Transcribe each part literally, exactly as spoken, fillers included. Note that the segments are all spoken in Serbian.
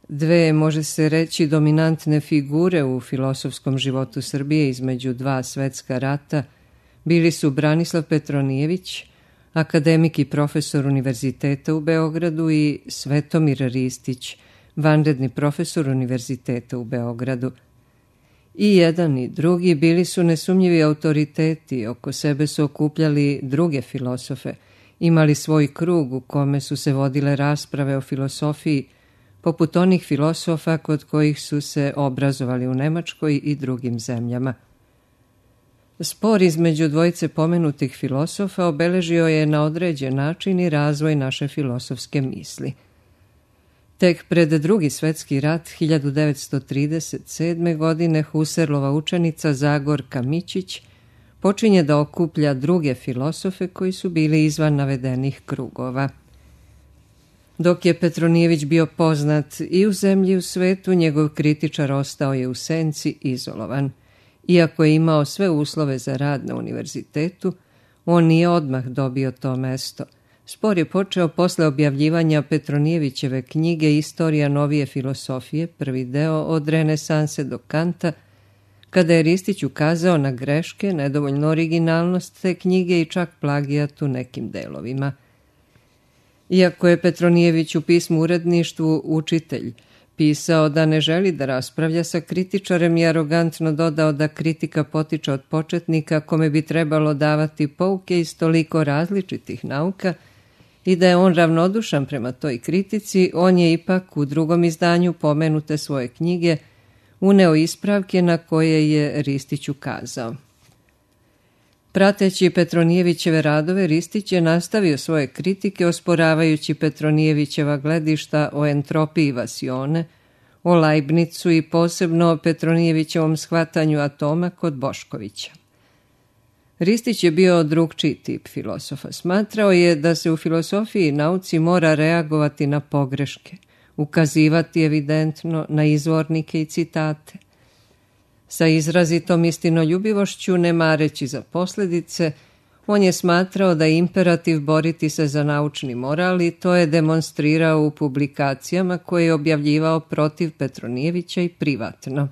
Dve, može se reći, dominantne figure u filosofskom životu Srbije između dva svetska rata bili su Branislav Petronijević, akademik i profesor Univerziteta u Beogradu, i Svetomir Ristić, vanredni profesor Univerziteta u Beogradu. I jedan i drugi bili su nesumnjivi autoriteti, oko sebe su okupljali druge filosofe, imali svoj krug u kome su se vodile rasprave o filosofiji, poput onih filosofa kod kojih su se obrazovali u Nemačkoj i drugim zemljama. Spor između dvojice pomenutih filosofa obeležio je na određen način i razvoj naše filosofske misli. Tek pred Drugi svetski rat hiljadu devetsto trideset sedme. godine Husserlova učenica Zagorka Mićić počinje da okuplja druge filosofe koji su bili izvan navedenih krugova. Dok je Petronijević bio poznat i u zemlji i u svetu, njegov kritičar ostao je u senci, izolovan. Iako je imao sve uslove za rad na univerzitetu, on nije odmah dobio to mesto. Spor je počeo posle objavljivanja Petronijevićeve knjige Istorija novije filosofije, prvi deo od renesanse do Kanta, kada je Ristić ukazao na greške, nedovoljnu originalnost te knjige i čak plagijat u nekim delovima. Iako je Petronijević u pismu uredništvu učitelj pisao da ne želi da raspravlja sa kritičarem i arogantno dodao da kritika potiče od početnika kome bi trebalo davati pouke iz toliko različitih nauka i da je on ravnodušan prema toj kritici, on je ipak u drugom izdanju pomenute svoje knjige uneo ispravke na koje je Ristić ukazao. Prateći Petronijevićeve radove, Ristić je nastavio svoje kritike osporavajući Petronijevićeva gledišta o entropiji vasione, o Leibnicu i posebno o Petronijevićevom shvatanju atoma kod Boškovića. Ristić je bio drugčiji tip filosofa. Smatrao je da se u filosofiji i nauci mora reagovati na pogreške, ukazivati evidentno na izvornike i citate. Sa izrazitom istinoljubivošću, ne mareći za posljedice, on je smatrao da je imperativ boriti se za naučni moral i to je demonstrirao u publikacijama koje je objavljivao protiv Petronijevića i privatno.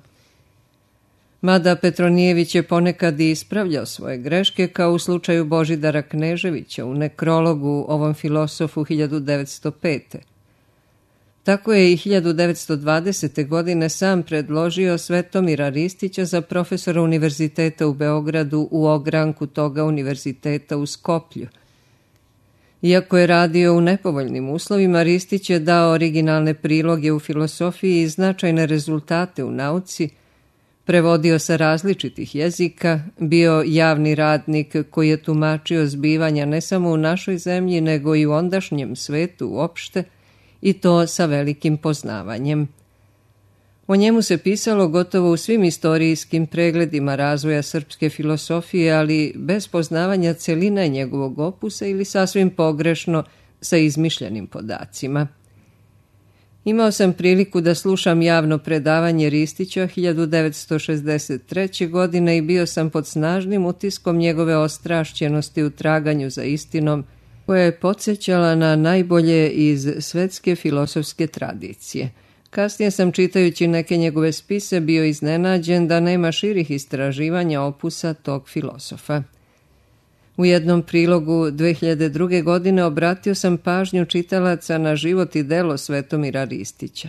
Mada Petronijević je ponekad i ispravljao svoje greške, kao u slučaju Božidara Kneževića u nekrologu ovom filosofu hiljadu devetsto pete. Tako je i hiljadu devetsto dvadesete. godine sam predložio Svetomira Ristića za profesora Univerziteta u Beogradu u ogranku toga univerziteta u Skoplju. Iako je radio u nepovoljnim uslovima, Ristić je dao originalne priloge u filosofiji i značajne rezultate u nauci, prevodio sa različitih jezika, bio javni radnik koji je tumačio zbivanja ne samo u našoj zemlji, nego i u ondašnjem svetu uopšte, i to sa velikim poznavanjem. O njemu se pisalo gotovo u svim istorijskim pregledima razvoja srpske filosofije, ali bez poznavanja celine njegovog opusa ili sasvim pogrešno sa izmišljenim podacima. Imao sam priliku da slušam javno predavanje Ristića hiljadu devetsto šezdeset treće. godine i bio sam pod snažnim utiskom njegove ostrašćenosti u traganju za istinom, koja je podsjećala na najbolje iz svetske filosofske tradicije. Kasnije sam, čitajući neke njegove spise, bio iznenađen da nema širih istraživanja opusa tog filosofa. U jednom prilogu dve hiljade druge. godine obratio sam pažnju čitalaca na život i delo Svetomira Ristića.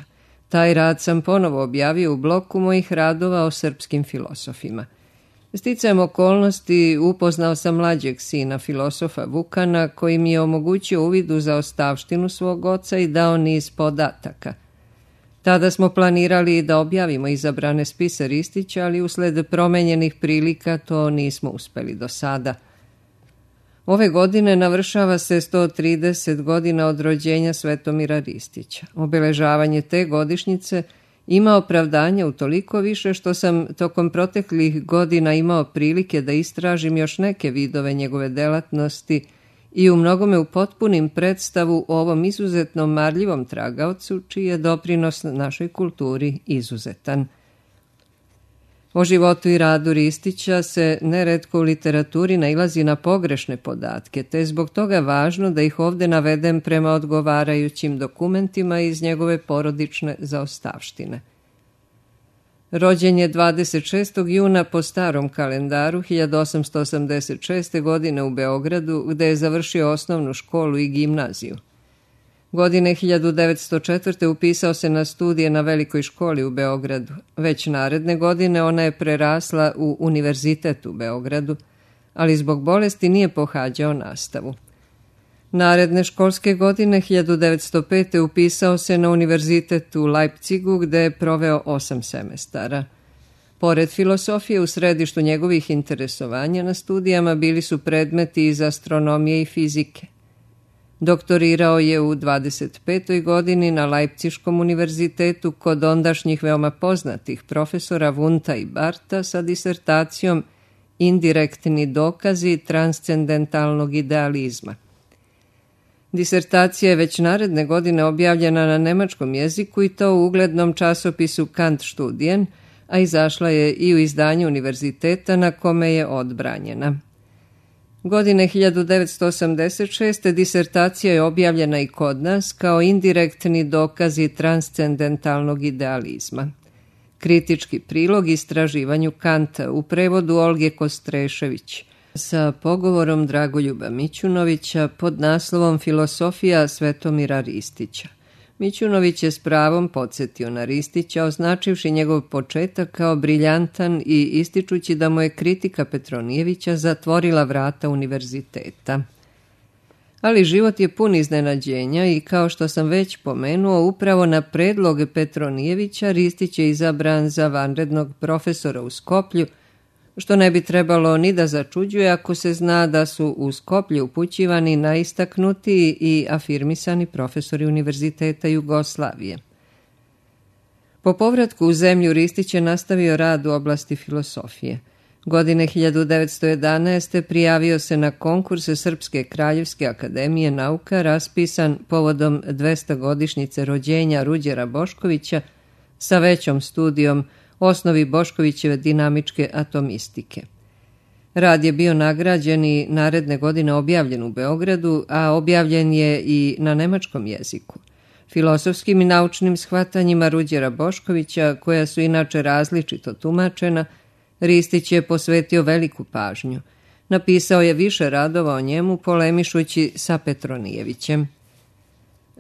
Taj rad sam ponovo objavio u bloku mojih radova o srpskim filosofima. Sticajem okolnosti upoznao sam mlađeg sina filosofa Vukana, koji mi je omogućio uvid u zaostavštinu svog oca i dao niz podataka. Tada smo planirali da objavimo izabrane spise Ristića, ali usled promenjenih prilika to nismo uspeli do sada. Ove godine navršava se sto trideset godina od rođenja Svetomira Ristića. Obeležavanje te godišnjice ima opravdanje utoliko više što sam tokom proteklih godina imao prilike da istražim još neke vidove njegove delatnosti i u mnogome upotpunim predstavu o ovom izuzetno marljivom tragaocu, čiji je doprinos našoj kulturi izuzetan. O životu i radu Ristića se neretko u literaturi nailazi na pogrešne podatke, te je zbog toga važno da ih ovdje navedem prema odgovarajućim dokumentima iz njegove porodične zaostavštine. Rođen je dvadeset šestog juna po starom kalendaru hiljadu osamsto osamdeset šeste. godine u Beogradu, gde je završio osnovnu školu i gimnaziju. Godine hiljadu devetsto četvrte. upisao se na studije na Velikoj školi u Beogradu. Već naredne godine ona je prerasla u Univerzitet u Beogradu, ali zbog bolesti nije pohađao nastavu. Naredne školske godine hiljadu devetsto pete. upisao se na Univerzitet u Leipzigu, gde je proveo osam semestara. Pored filosofije, u središtu njegovih interesovanja na studijama bili su predmeti iz astronomije i fizike. Doktorirao je u dvadeset petoj. godini na Leipziškom univerzitetu kod ondašnjih veoma poznatih profesora Wundta i Bartha sa disertacijom Indirektni dokazi transcendentalnog idealizma. Disertacija je već naredne godine objavljena na nemačkom jeziku i to u uglednom časopisu Kantstudien, a izašla je i u izdanju univerziteta na kome je odbranjena. Godine hiljadu devetsto osamdeset šeste. disertacija je objavljena i kod nas kao indirektni dokazi transcendentalnog idealizma. Kritički prilog istraživanju Kanta u prevodu Olge Kostrešević sa pogovorom Dragoljuba Mićunovića pod naslovom Filosofija Svetomira Ristića. Mićunović je s pravom podsjetio na Ristića, označivši njegov početak kao briljantan i ističući da mu je kritika Petronijevića zatvorila vrata univerziteta. Ali život je pun iznenađenja i kao što sam već pomenuo, upravo na predlog Petronijevića Ristić je izabran za vanrednog profesora u Skoplju, što ne bi trebalo ni da začuđuje ako se zna da su u Skoplju upućivani najistaknutiji i afirmisani profesori Univerziteta Jugoslavije. Po povratku u zemlju Ristić je nastavio rad u oblasti filosofije. Godine hiljadu devetsto jedanaeste. prijavio se na konkurse Srpske kraljevske akademije nauka raspisan povodom dvestogodišnjice rođenja Ruđera Boškovića sa većom studijom Osnovi Boškovićeve dinamičke atomistike. Rad je bio nagrađen i naredne godine objavljen u Beogradu, a objavljen je i na nemačkom jeziku. Filosofskim i naučnim shvatanjima Ruđera Boškovića, koja su inače različito tumačena, Ristić je posvetio veliku pažnju. Napisao je više radova o njemu, polemišući sa Petronijevićem.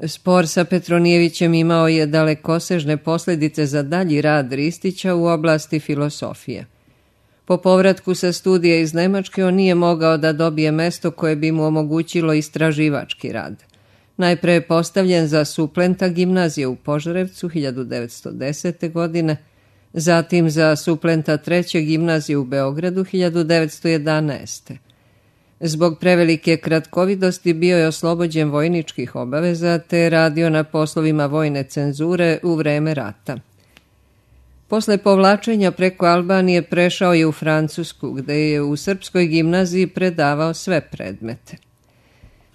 Spor sa Petronijevićem imao je dalekosežne posljedice za dalji rad Ristića u oblasti filosofije. Po povratku sa studija iz Nemačke on nije mogao da dobije mesto koje bi mu omogućilo istraživački rad. Najpre je postavljen za suplenta gimnazije u Požarevcu hiljadu devetsto desete. godine, zatim za suplenta treće gimnazije u Beogradu hiljadu devetsto jedanaeste. Zbog prevelike kratkovidosti bio je oslobođen vojničkih obaveza te je radio na poslovima vojne cenzure u vreme rata. Posle povlačenja preko Albanije prešao je u Francusku, gde je u Srpskoj gimnaziji predavao sve predmete.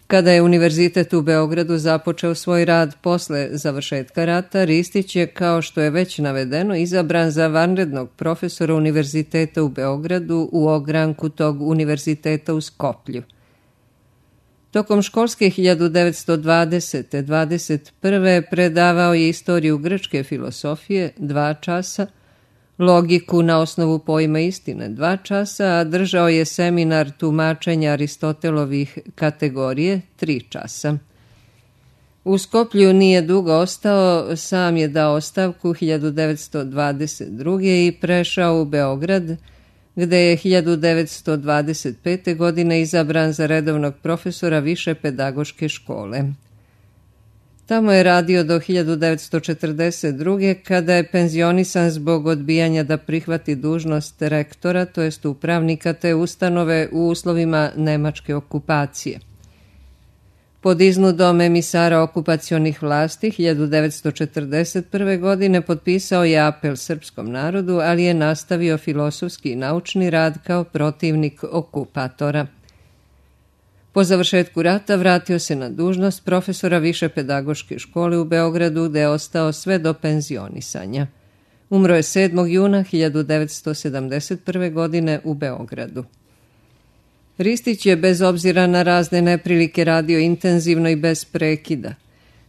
Kada je Univerzitet u Beogradu započeo svoj rad posle završetka rata, Ristić je, kao što je već navedeno, izabran za vanrednog profesora Univerziteta u Beogradu u ogranku tog univerziteta u Skoplju. Tokom školske hiljadu devetsto dvadesete. dvadeset prve. predavao je istoriju grčke filosofije dva časa, logiku na osnovu pojma istine dva časa, a držao je seminar tumačenja Aristotelovih kategorije tri časa. U Skoplju nije dugo ostao, sam je dao ostavku hiljadu devetsto dvadeset druge. i prešao u Beograd, gde je hiljadu devetsto dvadeset pete. godine izabran za redovnog profesora Više pedagoške škole. Tamo je radio do hiljadu devetsto četrdeset druge. kada je penzionisan zbog odbijanja da prihvati dužnost rektora, to jest upravnika te ustanove u uslovima nemačke okupacije. Pod iznudom emisara okupacionih vlasti hiljadu devetsto četrdeset prve. godine potpisao je apel srpskom narodu, ali je nastavio filosofski i naučni rad kao protivnik okupatora. Po završetku rata vratio se na dužnost profesora Više pedagoške škole u Beogradu, gde je ostao sve do penzionisanja. Umro je sedmog juna hiljadu devetsto sedamdeset prve. godine u Beogradu. Ristić je bez obzira na razne neprilike radio intenzivno i bez prekida.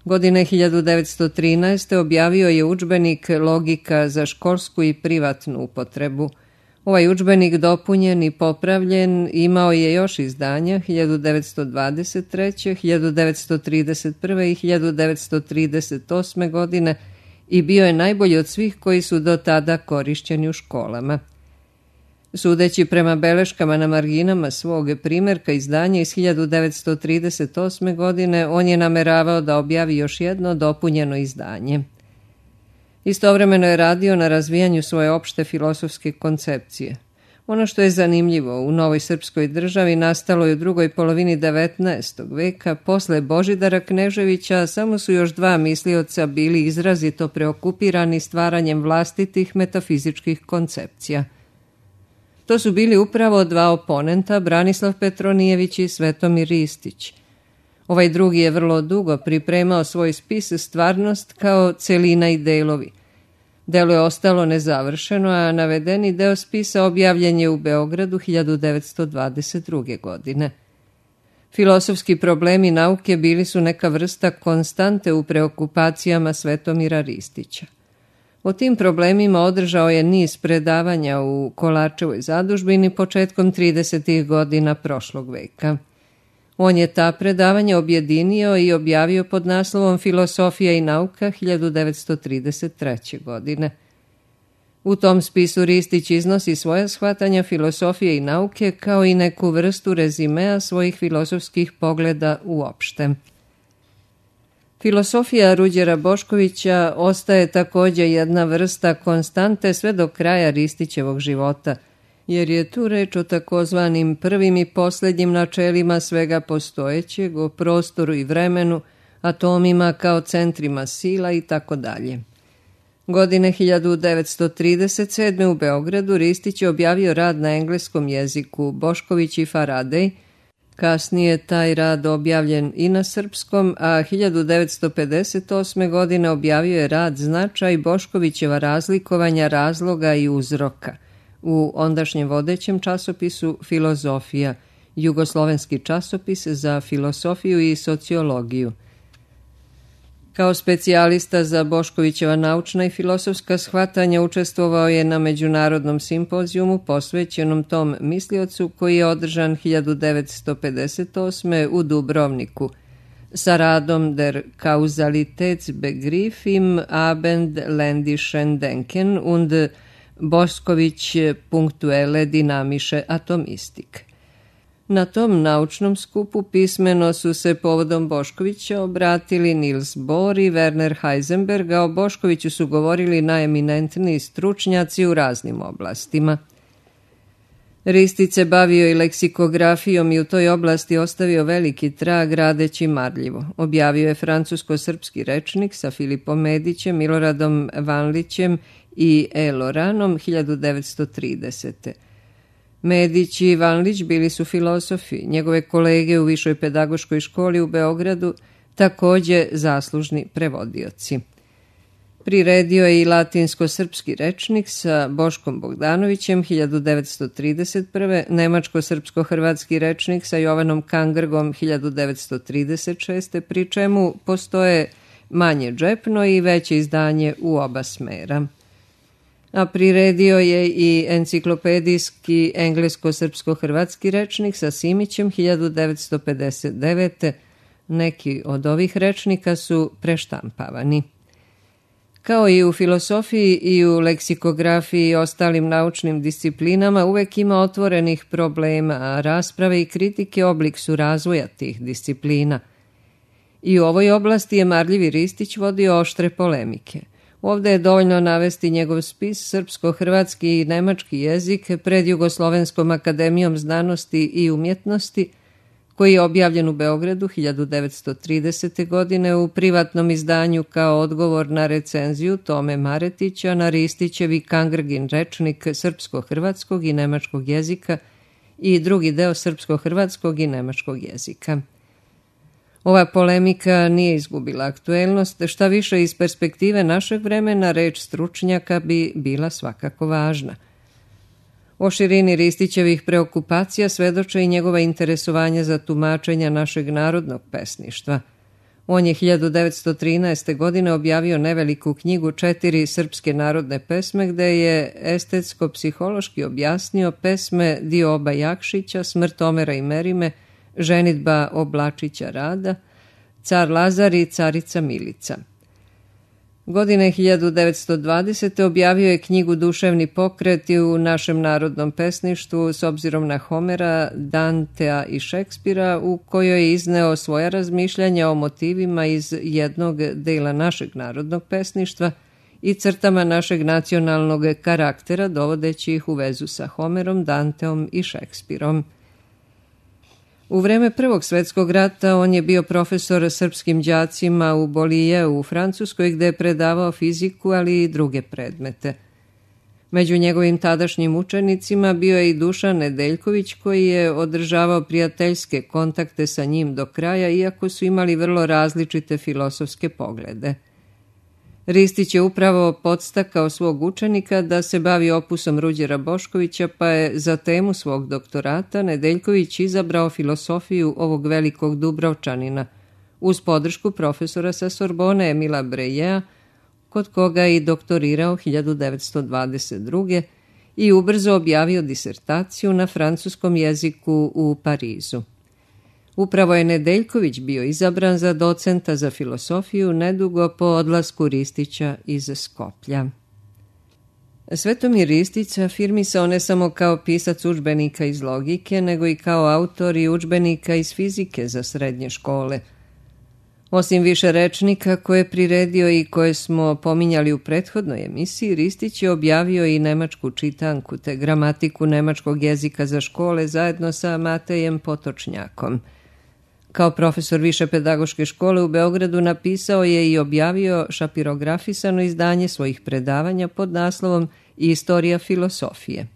Godine hiljadu devetsto trinaeste. objavio je udžbenik Logika za školsku i privatnu upotrebu. Ovaj udžbenik dopunjen i popravljen imao je još izdanja hiljadu devetsto dvadeset treće., hiljadu devetsto trideset prve. i hiljadu devetsto trideset osme. godine i bio je najbolji od svih koji su do tada korišćeni u školama. Sudeći prema beleškama na marginama svog primjerka izdanja iz hiljadu devetsto trideset osme. godine, on je nameravao da objavi još jedno dopunjeno izdanje. Istovremeno je radio na razvijanju svoje opšte filosofske koncepcije. Ono što je zanimljivo u novoj srpskoj državi nastalo je u drugoj polovini devetnaestog. veka, posle Božidara Kneževića samo su još dva mislioca bili izrazito preokupirani stvaranjem vlastitih metafizičkih koncepcija. To su bili upravo dva oponenta, Branislav Petronijević i Svetomir Ristić. Ovaj drugi je vrlo dugo pripremao svoj spis Stvarnost kao celina i delovi. Delo je ostalo nezavršeno, a navedeni deo spisa objavljen je u Beogradu hiljadu devetsto dvadeset druge. godine. Filosofski problemi nauke bili su neka vrsta konstante u preokupacijama Svetomira Ristića. O tim problemima održao je niz predavanja u Kolačevoj zadužbini početkom tridesetih godina prošlog veka. On je ta predavanja objedinio i objavio pod naslovom Filosofija i nauka hiljadu devetsto trideset treće. godine. U tom spisu Ristić iznosi svoja shvatanja filosofije i nauke kao i neku vrstu rezimea svojih filosofskih pogleda uopšte. Filosofija Ruđera Boškovića ostaje također jedna vrsta konstante sve do kraja Ristićevog života, jer je tu reč o takozvanim prvim i posljednjim načelima svega postojećeg, o prostoru i vremenu, atomima kao centrima sila i tako dalje. Godine hiljadu devetsto trideset sedme. u Beogradu Ristić je objavio rad na engleskom jeziku Bošković i Faradej. Kasnije taj rad objavljen i na srpskom, a hiljadu devetsto pedeset osme. godine objavio je rad Značaj Boškovićeva razlikovanja razloga i uzroka u ondašnjem vodećem časopisu Filozofija, jugoslovenski časopis za filosofiju i sociologiju. Kao specijalista za Boškovićeva naučna i filosofska shvatanja učestvovao je na međunarodnom simpozijumu posvećenom tom misliocu koji je održan hiljadu devetsto pedeset osme. u Dubrovniku sa radom Der Kausalitätsbegriff im Abendländischen Denken und Bošković punktuelle dynamische Atomistik. Na tom naučnom skupu pismeno su se povodom Boškovića obratili Niels Bohr i Werner Heisenberg, a o Boškoviću su govorili najeminentniji stručnjaci u raznim oblastima. Ristić se bavio i leksikografijom i u toj oblasti ostavio veliki trag radeći marljivo. Objavio je francusko-srpski rečnik sa Filipom Medićem, Miloradom Vanlićem i E. Loranom hiljadu devetsto tridesete. Medić i Vanlić bili su filosofi, njegove kolege u Višoj pedagoškoj školi u Beogradu također zaslužni prevodioci. Priredio je i latinsko-srpski rečnik sa Boškom Bogdanovićem hiljadu devetsto trideset prve. Nemačko-srpsko-hrvatski rečnik sa Jovanom Kangrgom hiljadu devetsto trideset šeste. pri čemu postoje manje džepno i veće izdanje u oba smera. A priredio je i enciklopedijski englesko-srpsko-hrvatski rečnik sa Simićem hiljadu devetsto pedeset devete. Neki od ovih rečnika su preštampavani. Kao i u filosofiji i u leksikografiji i ostalim naučnim disciplinama uvek ima otvorenih problema, a rasprave i kritike oblik su razvoja tih disciplina. I u ovoj oblasti je marljivi Ristić vodio oštre polemike. Ovdje je dovoljno navesti njegov spis srpsko-hrvatski i nemački jezik pred Jugoslovenskom akademijom znanosti i umjetnosti, koji je objavljen u Beogradu hiljadu devetsto tridesete. godine u privatnom izdanju kao odgovor na recenziju Tome Maretića na Ristićevi Kangrgin rečnik srpsko-hrvatskog i nemačkog jezika i drugi deo srpsko-hrvatskog i nemačkog jezika. Ova polemika nije izgubila aktuelnost, šta više iz perspektive našeg vremena reč stručnjaka bi bila svakako važna. O širini Ristićevih preokupacija svedoče i njegova interesovanja za tumačenja našeg narodnog pesništva. On je hiljadu devetsto trinaeste. godine objavio neveliku knjigu Četiri srpske narodne pesme, gde je estetsko-psihološki objasnio pesme Dioba Jakšića, Smrt Omera i Merime, Ženidba Oblačića Rada, Car Lazar i Carica Milica. Godine hiljadu devetsto dvadesete. objavio je knjigu Duševni pokret i u našem narodnom pesništvu s obzirom na Homera, Dantea i Šekspira, u kojoj je izneo svoja razmišljanja o motivima iz jednog dela našeg narodnog pesništva i crtama našeg nacionalnog karaktera, dovodeći ih u vezu sa Homerom, Danteom i Šekspirom. U vreme Prvog svetskog rata on je bio profesor srpskim đacima u Bolijeu u Francuskoj, gde je predavao fiziku, ali i druge predmete. Među njegovim tadašnjim učenicima bio je i Dušan Nedeljković, koji je održavao prijateljske kontakte sa njim do kraja, iako su imali vrlo različite filosofske poglede. Ristić je upravo podstakao svog učenika da se bavi opusom Ruđera Boškovića, pa je za temu svog doktorata Nedeljković izabrao filosofiju ovog velikog Dubrovčanina, uz podršku profesora sa Sorbone Emila Brejea, kod koga je i doktorirao hiljadu devetsto dvadeset druge. i ubrzo objavio disertaciju na francuskom jeziku u Parizu. Upravo je Nedeljković bio izabran za docenta za filosofiju nedugo po odlasku Ristića iz Skoplja. Svetomir Ristić afirmisao ne samo kao pisac udžbenika iz logike, nego i kao autor i udžbenika iz fizike za srednje škole. Osim više rečnika koje je priredio i koje smo pominjali u prethodnoj emisiji, Ristić je objavio i nemačku čitanku te gramatiku nemačkog jezika za škole zajedno sa Matejem Potočnjakom. Kao profesor više pedagoške škole u Beogradu napisao je i objavio šapirografisano izdanje svojih predavanja pod naslovom Istorija filosofije.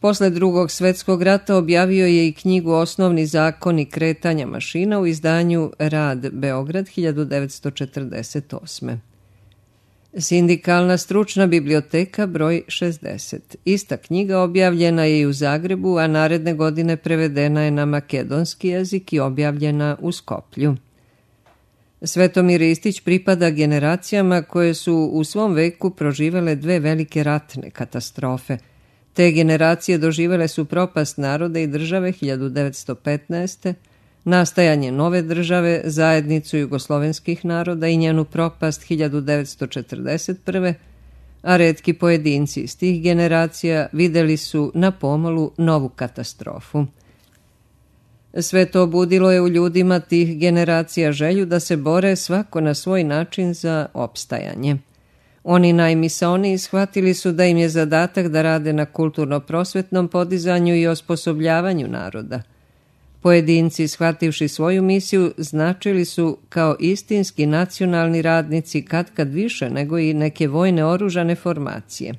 Posle Drugog svetskog rata objavio je i knjigu Osnovni zakoni kretanja mašina u izdanju Rad Beograd hiljadu devetsto četrdeset osme. Sindikalna stručna biblioteka broj šezdeset. Ista knjiga objavljena je i u Zagrebu, a naredne godine prevedena je na makedonski jezik i objavljena u Skoplju. Svetomir Ristić pripada generacijama koje su u svom veku proživele dve velike ratne katastrofe. Te generacije doživele su propast naroda i države hiljadu devetsto petnaeste. nastajanje nove države, zajednicu jugoslovenskih naroda i njenu propast hiljadu devetsto četrdeset prve. a retki pojedinci iz tih generacija videli su na pomolu novu katastrofu. Sve to budilo je u ljudima tih generacija želju da se bore svako na svoj način za opstajanje. Oni najmisaoniji shvatili su da im je zadatak da rade na kulturno-prosvetnom podizanju i osposobljavanju naroda. Pojedinci, shvativši svoju misiju, značili su kao istinski nacionalni radnici katkad više nego i neke vojne oružane formacije.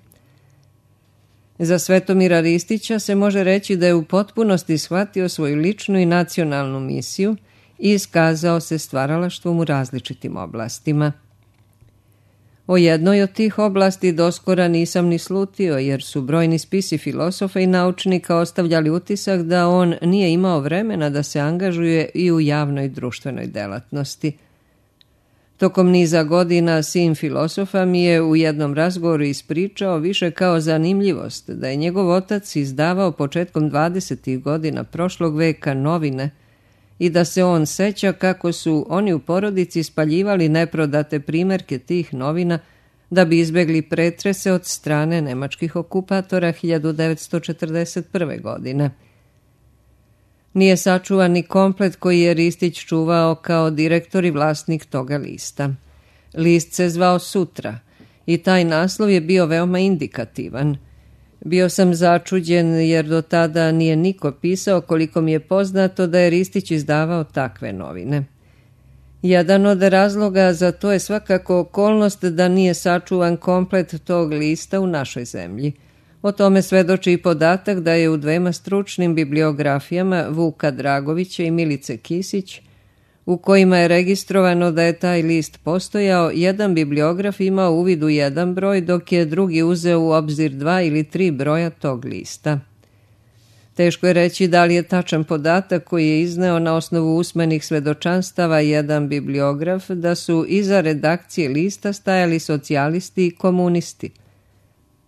Za Svetomira Ristića se može reći da je u potpunosti shvatio svoju ličnu i nacionalnu misiju i iskazao se stvaralaštvom u različitim oblastima. O jednoj od tih oblasti doskora nisam ni slutio, jer su brojni spisi filosofa i naučnika ostavljali utisak da on nije imao vremena da se angažuje i u javnoj društvenoj delatnosti. Tokom niza godina sin filosofa mi je u jednom razgovoru ispričao više kao zanimljivost da je njegov otac izdavao početkom dvadesetih godina prošlog veka novine i da se on seća kako su oni u porodici spaljivali neprodate primerke tih novina da bi izbegli pretrese od strane nemačkih okupatora hiljadu devetsto četrdeset prve. godine. Nije sačuvan ni komplet koji je Ristić čuvao kao direktor i vlasnik toga lista. List se zvao Sutra i taj naslov je bio veoma indikativan. Bio sam začuđen jer do tada nije niko pisao, koliko mi je poznato, da je Ristić izdavao takve novine. Jedan od razloga za to je svakako okolnost da nije sačuvan komplet tog lista u našoj zemlji. O tome svedoči i podatak da je u dvema stručnim bibliografijama Vuka Dragovića i Milice Kisić u kojima je registrovano da je taj list postojao, jedan bibliograf imao uvid u jedan broj, dok je drugi uzeo u obzir dva ili tri broja tog lista. Teško je reći da li je tačan podatak koji je izneo na osnovu usmenih svedočanstava jedan bibliograf da su iza redakcije lista stajali socijalisti i komunisti.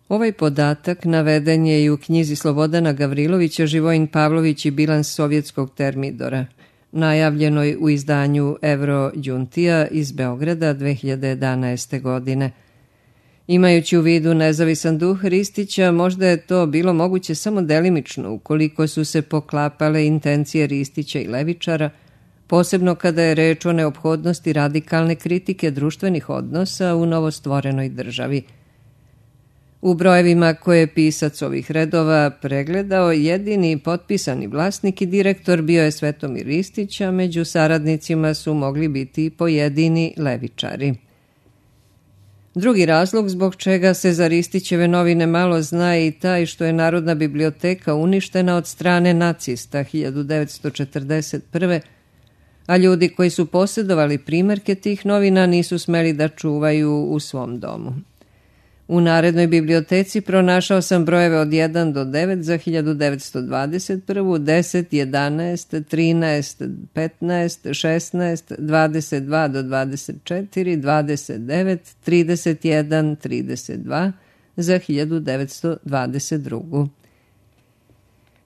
Ovaj podatak naveden je i u knjizi Slobodana Gavrilovića Živojin Pavlović i bilans sovjetskog termidora, najavljenoj u izdanju Evro Đuntija iz Beograda dve hiljade jedanaeste. godine. Imajući u vidu nezavisan duh Ristića, možda je to bilo moguće samo delimično ukoliko su se poklapale intencije Ristića i levičara, posebno kada je reč o neophodnosti radikalne kritike društvenih odnosa u novostvorenoj državi. U brojevima koje je pisac ovih redova pregledao, jedini potpisani vlasnik i direktor bio je Svetomir Ristić, a među saradnicima su mogli biti pojedini levičari. Drugi razlog zbog čega se za Ristićeve novine malo zna je i taj što je Narodna biblioteka uništena od strane nacista hiljadu devetsto četrdeset prve. a ljudi koji su posjedovali primerke tih novina nisu smeli da čuvaju u svom domu. U narednoj biblioteci pronašao sam brojeve od jedan do devet za hiljadu devetsto dvadeset prvu, deset, jedanaest, trinaest, petnaest, šesnaest, dvadeset dva do dvadeset četiri, dvadeset devet, trideset jedan, trideset dva za hiljadu devetsto dvadeset drugu.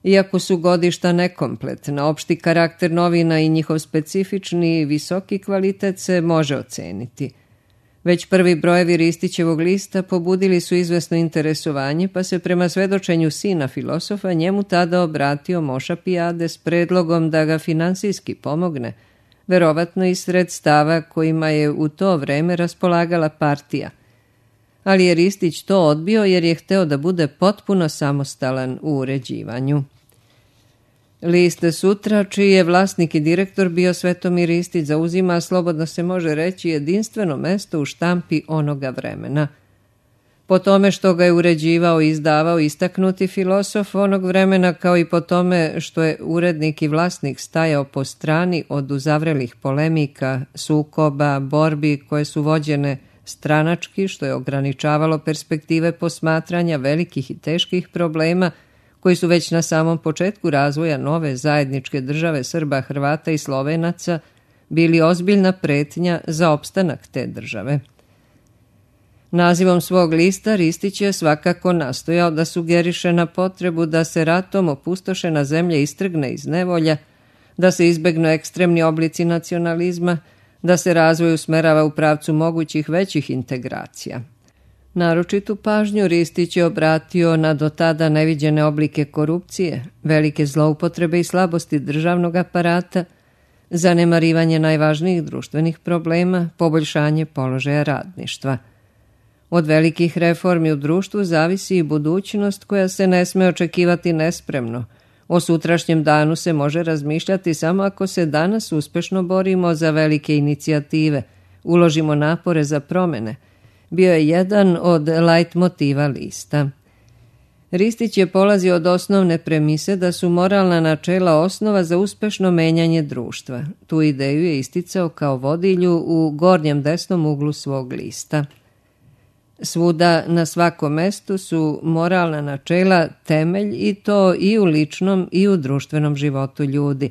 Iako su godišta nekompletna, opšti karakter novina i njihov specifični i visoki kvalitet se može oceniti. Već prvi brojevi Ristićevog lista pobudili su izvesno interesovanje, pa se prema svedočenju sina filosofa njemu tada obratio Moša Pijade s predlogom da ga finansijski pomogne, verovatno iz sredstava kojima je u to vreme raspolagala partija. Ali je Ristić to odbio jer je hteo da bude potpuno samostalan u uređivanju. List Sutra, čiji je vlasnik i direktor bio Svetomir Ristić, zauzima, slobodno se može reći, jedinstveno mesto u štampi onoga vremena. Po tome što ga je uređivao i izdavao istaknuti filosof onog vremena, kao i po tome što je urednik i vlasnik stajao po strani od uzavrelih polemika, sukoba, borbi koje su vođene stranački, što je ograničavalo perspektive posmatranja velikih i teških problema koji su već na samom početku razvoja nove zajedničke države Srba, Hrvata i Slovenaca bili ozbiljna pretnja za opstanak te države. Nazivom svog lista Ristić je svakako nastojao da sugeriše na potrebu da se ratom opustošena zemlja istrgne iz nevolja, da se izbegnu ekstremni oblici nacionalizma, da se razvoj usmerava u pravcu mogućih većih integracija. Naročitu pažnju Ristić je obratio na do tada neviđene oblike korupcije, velike zloupotrebe i slabosti državnog aparata, zanemarivanje najvažnijih društvenih problema, poboljšanje položaja radništva. Od velikih reformi u društvu zavisi i budućnost koja se ne sme očekivati nespremno. O sutrašnjem danu se može razmišljati samo ako se danas uspešno borimo za velike inicijative, uložimo napore za promene. Bio je jedan od lajt motiva lista. Ristić je polazio od osnovne premise da su moralna načela osnova za uspešno menjanje društva. Tu ideju je isticao kao vodilju u gornjem desnom uglu svog lista. Svuda na svakom mestu su moralna načela temelj i to i u ličnom i u društvenom životu ljudi.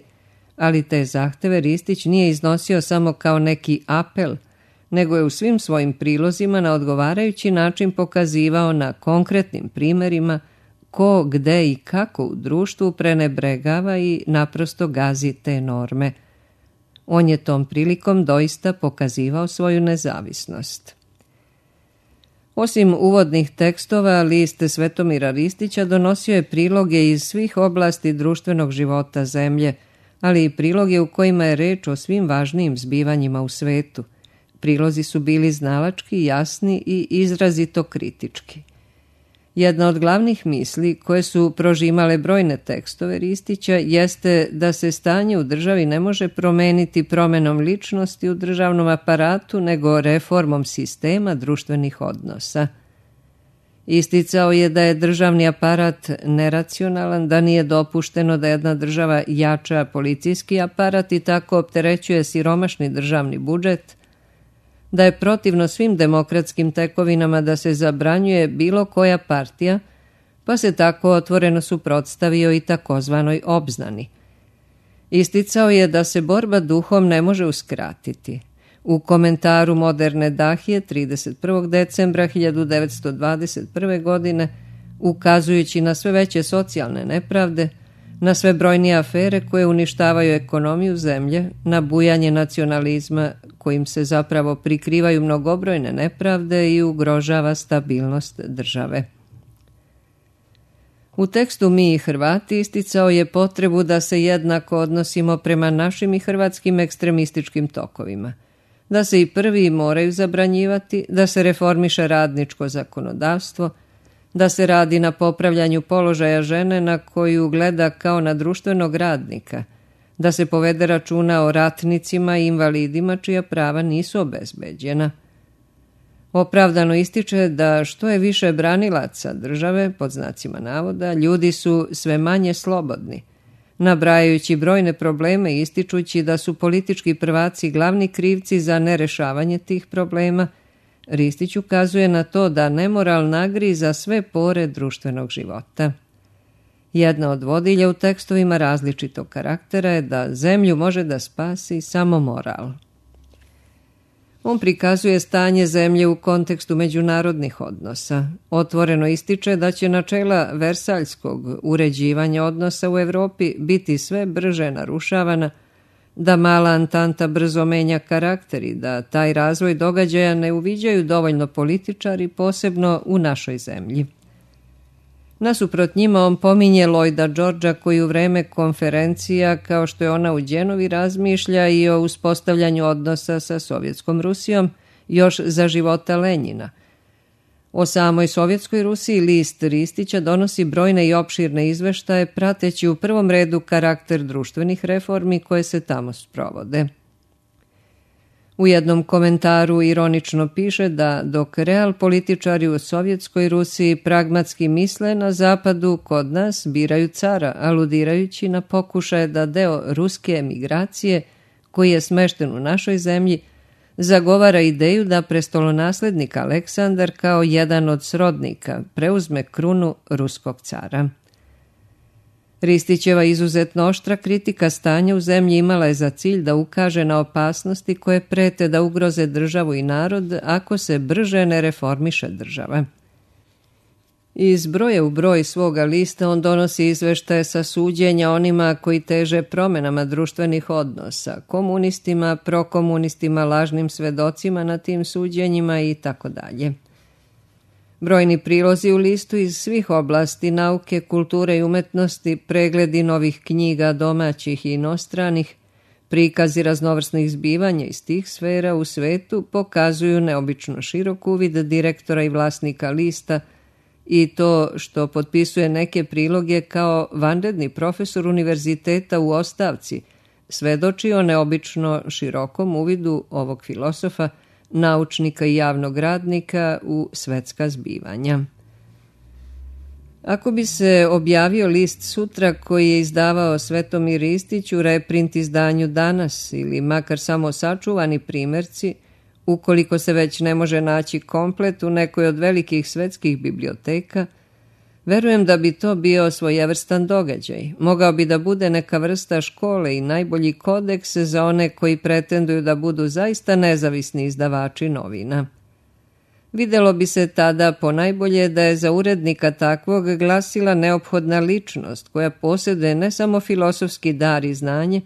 Ali te zahteve Ristić nije iznosio samo kao neki apel, nego je u svim svojim prilozima na odgovarajući način pokazivao na konkretnim primerima ko, gde i kako u društvu prenebregava i naprosto gazi te norme. On je tom prilikom doista pokazivao svoju nezavisnost. Osim uvodnih tekstova, list Svetomira Ristića donosio je priloge iz svih oblasti društvenog života zemlje, ali i priloge u kojima je reč o svim važnijim zbivanjima u svetu. Prilozi su bili znalački, jasni i izrazito kritički. Jedna od glavnih misli koje su prožimale brojne tekstove Ristića jeste da se stanje u državi ne može promeniti promenom ličnosti u državnom aparatu, nego reformom sistema društvenih odnosa. Isticao je da je državni aparat neracionalan, da nije dopušteno da jedna država jača policijski aparat i tako opterećuje siromašni državni budžet, da je protivno svim demokratskim tekovinama da se zabranjuje bilo koja partija, pa se tako otvoreno suprotstavio i takozvanoj obznani. Isticao je da se borba duhom ne može uskratiti. U komentaru Moderne Dahije trideset prvog decembra hiljadu devetsto dvadeset prve. godine, ukazujući na sve veće socijalne nepravde, na sve brojnije afere koje uništavaju ekonomiju zemlje, na bujanje nacionalizma kojim se zapravo prikrivaju mnogobrojne nepravde i ugrožava stabilnost države. U tekstu Mi i Hrvati isticao je potrebu da se jednako odnosimo prema našim i hrvatskim ekstremističkim tokovima, da se i prvi moraju zabranjivati, da se reformiše radničko zakonodavstvo, da se radi na popravljanju položaja žene na koju gleda kao na društvenog radnika, da se povede računa o ratnicima i invalidima čija prava nisu obezbeđena. Opravdano ističe da što je više branilaca države, pod znacima navoda, ljudi su sve manje slobodni, nabrajajući brojne probleme i ističući da su politički prvaci glavni krivci za nerešavanje tih problema. Ristić ukazuje na to da nemoral nagriza sve pore društvenog života. Jedna od vodilja u tekstovima različitog karaktera je da zemlju može da spasi samo moral. On prikazuje stanje zemlje u kontekstu međunarodnih odnosa. Otvoreno ističe da će načela versaljskog uređivanja odnosa u Evropi biti sve brže narušavana, da mala Antanta brzo menja karakter i da taj razvoj događaja ne uviđaju dovoljno političari, posebno u našoj zemlji. Nasuprot njima on pominje Lloyda Georgea koji u vreme konferencija, kao što je ona u Đenovi, razmišlja i o uspostavljanju odnosa sa Sovjetskom Rusijom još za života Lenjina. O samoj Sovjetskoj Rusiji list Ristića donosi brojne i opširne izveštaje prateći u prvom redu karakter društvenih reformi koje se tamo sprovode. U jednom komentaru ironično piše da dok real političari u Sovjetskoj Rusiji pragmatski misle, na zapadu kod nas biraju cara, aludirajući na pokušaje da deo ruske emigracije, koji je smešten u našoj zemlji, zagovara ideju da prestolonaslednik Aleksandar kao jedan od srodnika preuzme krunu ruskog cara. Ristićeva izuzetno oštra kritika stanja u zemlji imala je za cilj da ukaže na opasnosti koje prete da ugroze državu i narod ako se brže ne reformiše država. Iz broja u broj svoga lista on donosi izveštaje sa suđenja onima koji teže promjenama društvenih odnosa, komunistima, prokomunistima, lažnim svedocima na tim suđenjima i tako dalje. Brojni prilozi u listu iz svih oblasti nauke, kulture i umetnosti, pregledi novih knjiga domaćih i inostranih, prikazi raznovrsnih zbivanja iz tih sfera u svetu pokazuju neobično širok uvid direktora i vlasnika lista i to što potpisuje neke priloge kao vanredni profesor univerziteta u ostavci, svedoči o neobično širokom uvidu ovog filosofa, naučnika i javnog radnika u svetska zbivanja. Ako bi se objavio list sutra koji je izdavao Svetomir Ristić u reprint izdanju Danas ili makar samo sačuvani primjerci, ukoliko se već ne može naći komplet u nekoj od velikih svetskih biblioteka, verujem da bi to bio svojevrstan događaj. Mogao bi da bude neka vrsta škole i najbolji kodeks za one koji pretenduju da budu zaista nezavisni izdavači novina. Videlo bi se tada ponajbolje da je za urednika takvog glasila neophodna ličnost koja posjeduje ne samo filosofski dar i znanje,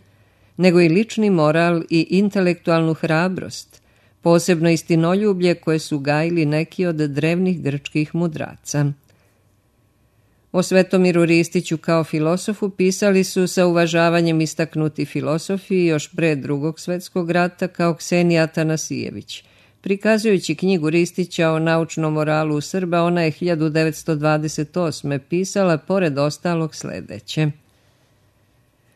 nego i lični moral i intelektualnu hrabrost, posebno istinoljublje koje su gajili neki od drevnih grčkih mudraca. O Svetomiru Ristiću kao filosofu pisali su sa uvažavanjem istaknuti filosofi još pre Drugog svjetskog rata kao Ksenija Atanasijević. Prikazujući knjigu Ristića o naučnom moralu Srba, ona je hiljadu devetsto dvadeset osme pisala pored ostalog sledeće.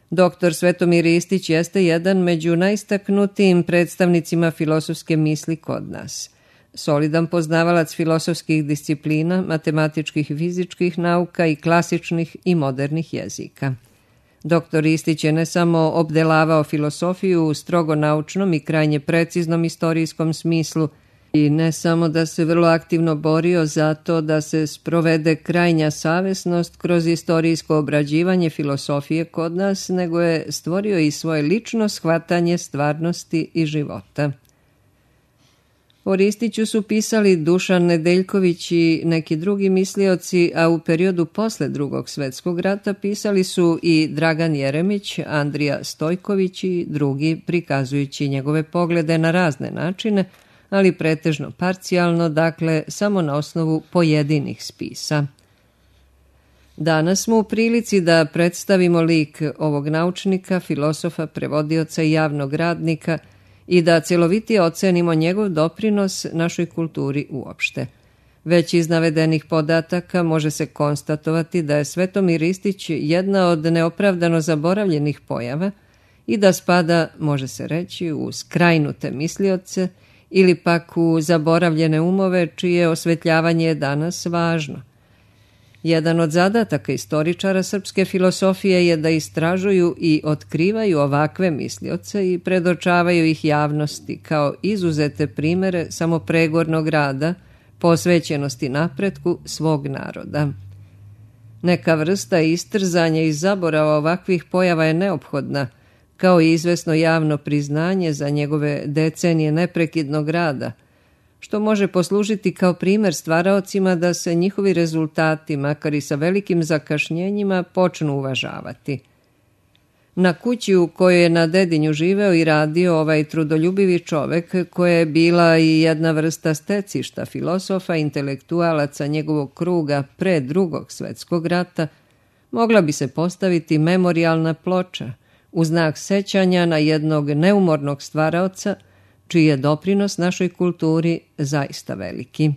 Doktor Svetomir Ristić jeste jedan među najistaknutijim predstavnicima filosofske misli kod nas. solidan poznavalac filosofskih disciplina, matematičkih i fizičkih nauka i klasičnih i modernih jezika. Doktor Ristić je ne samo obdelavao filosofiju u strogo naučnom i krajnje preciznom istorijskom smislu, i ne samo da se vrlo aktivno borio za to da se sprovede krajnja savesnost kroz istorijsko obrađivanje filosofije kod nas, nego je stvorio i svoje lično shvatanje stvarnosti i života. O Ristiću su pisali Dušan Nedeljković i neki drugi mislioci, a u periodu posle Drugog svjetskog rata pisali su i Dragan Jeremić, Andrija Stojković i drugi, prikazujući njegove poglede na razne načine, ali pretežno parcijalno, dakle samo na osnovu pojedinih spisa. Danas smo u prilici da predstavimo lik ovog naučnika, filosofa, prevodioca i javnog radnika i da celovitije ocenimo njegov doprinos našoj kulturi uopšte. Već iz navedenih podataka može se konstatovati da je Svetomir Ristić jedna od neopravdano zaboravljenih pojava i da spada, može se reći, u skrajnute mislioce ili pak u zaboravljene umove čije osvetljavanje je danas važno. Jedan od zadataka istoričara srpske filosofije je da istražuju i otkrivaju ovakve mislioce i predočavaju ih javnosti kao izuzete primere samopregornog rada, posvećenosti napretku svog naroda. Neka vrsta istrzanja i zaborava ovakvih pojava je neophodna, kao i izvesno javno priznanje za njegove decenije neprekidnog rada, što može poslužiti kao primer stvaraocima da se njihovi rezultati, makar i sa velikim zakašnjenjima, počnu uvažavati. Na kući u kojoj je na Dedinju živeo i radio ovaj trudoljubivi čovek, koja je bila i jedna vrsta stecišta filosofa, intelektualaca njegovog kruga pre Drugog svjetskog rata, mogla bi se postaviti memorijalna ploča u znak sećanja na jednog neumornog stvaraoca, čiji je doprinos našoj kulturi zaista veliki.